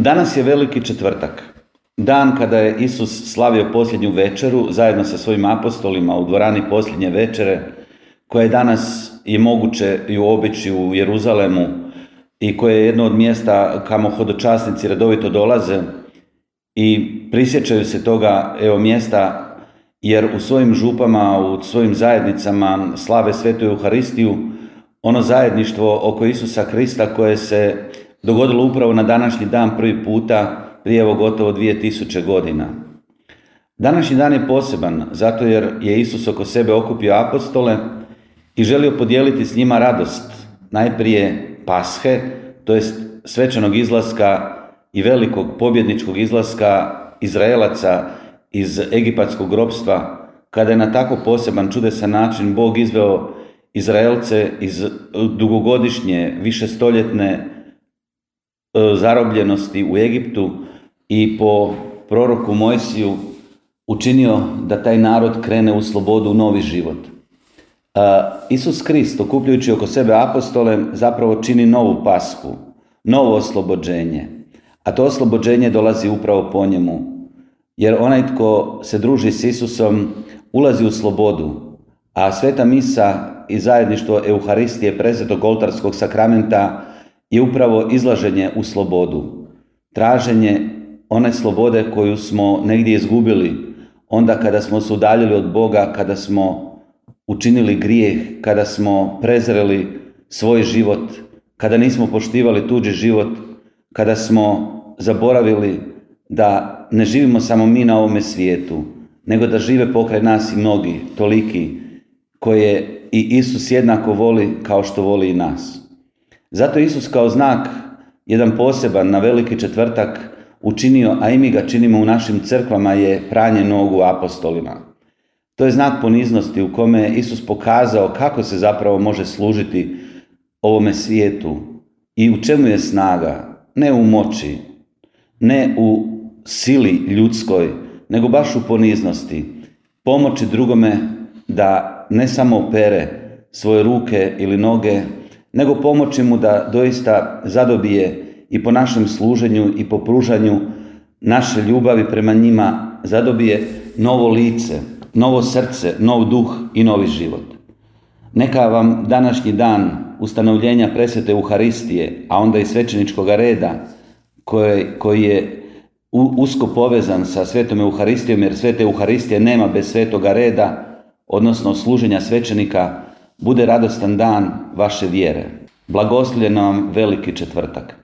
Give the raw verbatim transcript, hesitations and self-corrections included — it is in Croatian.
Danas je Veliki četvrtak, dan kada je Isus slavio posljednju večeru zajedno sa svojim apostolima u dvorani posljednje večere, koja je danas je moguće i obići u Jeruzalemu i koje je jedno od mjesta kamo hodočasnici redovito dolaze i prisjećaju se toga evo mjesta, jer u svojim župama, u svojim zajednicama slave Svetu Euharistiju, ono zajedništvo oko Isusa Krista koje se dogodilo upravo na današnji dan prvi puta prije evo gotovo dvije tisuće godina. Današnji dan je poseban zato jer je Isus oko sebe okupio apostole i želio podijeliti s njima radost, najprije Pashe, to jest svečanog izlaska i velikog pobjedničkog izlaska Izraelaca iz egipatskog ropstva, kada je na tako poseban čudesan način Bog izveo Izraelce iz dugogodišnje, višestoljetne zarobljenosti u Egiptu i po proroku Mojsiju učinio da taj narod krene u slobodu, u novi život. Isus Krist, okupljujući oko sebe apostole, zapravo čini novu Pashu, novo oslobođenje, a to oslobođenje dolazi upravo po njemu, jer onaj tko se druži s Isusom ulazi u slobodu, a sveta misa i zajedništvo Euharistije, presvetog oltarskog sakramenta, je upravo izlaženje u slobodu, traženje one slobode koju smo negdje izgubili, onda kada smo se udaljili od Boga, kada smo učinili grijeh, kada smo prezreli svoj život, kada nismo poštivali tuđi život, kada smo zaboravili da ne živimo samo mi na ovome svijetu, nego da žive pokraj nas i mnogi, toliki, koje i Isus jednako voli kao što voli i nas. Zato Isus kao znak, jedan poseban na Veliki četvrtak, učinio, a i mi ga činimo u našim crkvama, je pranje nogu apostolima. To je znak poniznosti u kome je Isus pokazao kako se zapravo može služiti ovome svijetu i u čemu je snaga, ne u moći, ne u sili ljudskoj, nego baš u poniznosti, pomoći drugome da ne samo opere svoje ruke ili noge, nego pomoći mu da doista zadobije i po našem služenju i po pružanju naše ljubavi prema njima zadobije novo lice, novo srce, nov duh i novi život. Neka vam današnji dan ustanovljenja presvete Euharistije, a onda i svećeničkog reda, koji, koji je usko povezan sa svetom Euharistijom, jer svete Euharistije nema bez svetoga reda, odnosno služenja svećenika, bude radostan dan vaše vjere. Blagoslovljen vam Veliki četvrtak.